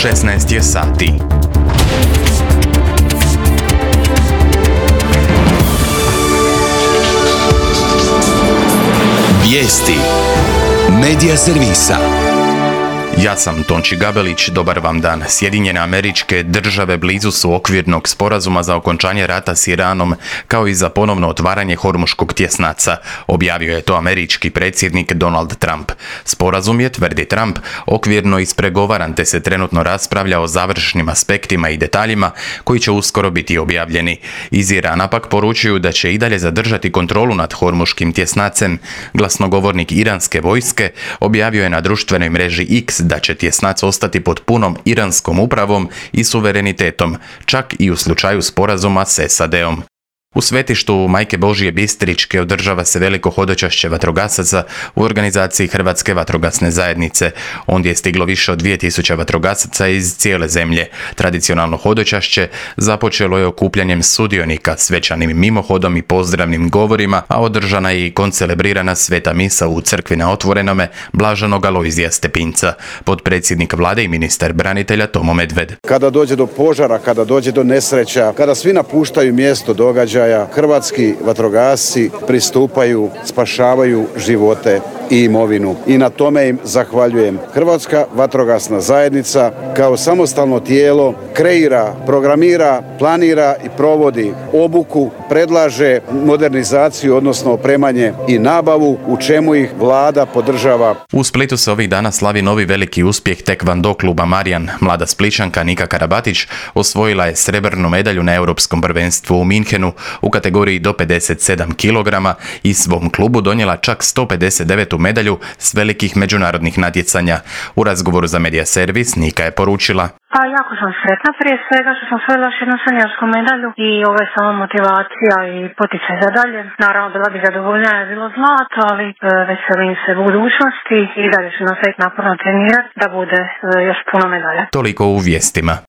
16 je sati. Vijesti Medija servisa. Ja sam Tonči Gabelić, dobar vam dan. Sjedinjene Američke Države blizu su okvirnog sporazuma za okončanje rata s Iranom, kao i za ponovno otvaranje Hormuškog tjesnaca, objavio je to američki predsjednik Donald Trump. Sporazum je, tvrdi Trump, okvirno ispregovaran te se trenutno raspravlja o završnim aspektima i detaljima koji će uskoro biti objavljeni. Iz Irana pak poručuju da će i dalje zadržati kontrolu nad Hormuškim tjesnacem. Glasnogovornik iranske vojske objavio je na društvenoj mreži X da će tjesnac ostati pod punom iranskom upravom i suverenitetom, čak i u slučaju sporazuma s SAD-om. U svetištu Majke Božije Bistričke održava se veliko hodočašće vatrogasaca u organizaciji Hrvatske vatrogasne zajednice. Ondje je stiglo više od 2000 vatrogasaca iz cijele zemlje. Tradicionalno hodočašće započelo je okupljanjem sudionika, svečanim mimohodom i pozdravnim govorima, a održana je i koncelebrirana sveta misa u crkvi na Otvorenome Blaženog Alojzija Stepinca. Potpredsjednik vlade i ministar branitelja Tomo Medved. Kada dođe do požara, kada dođe do nesreća, kada svi napuštaju mjesto događaja, hrvatski vatrogasci pristupaju, spašavaju živote i imovinu. I na tome im zahvaljujem. Hrvatska vatrogasna zajednica kao samostalno tijelo kreira, programira, planira i provodi obuku, predlaže modernizaciju, odnosno opremanje i nabavu, u čemu ih vlada podržava. U Splitu se ovih dana slavi novi veliki uspjeh tekvando kluba Marijan. Mlada Splićanka Nika Karabatić osvojila je srebrnu medalju na Europskom prvenstvu u Minhenu u kategoriji do 57 kg i svom klubu donijela čak 159. medalju s velikih međunarodnih natjecanja. U razgovoru za Medija servis Nika je poručila: Jako sam sretna prije svega što sam osvojila još jednu seniorsku medalju i ovo je samo motivacija i poticaj za dalje. Naravno, bila bi zadovoljna je bilo zlato, ali veselim se budućnosti i dalje ću nastaviti naporno trenirati da bude još puno medalja. Toliko u vijestima.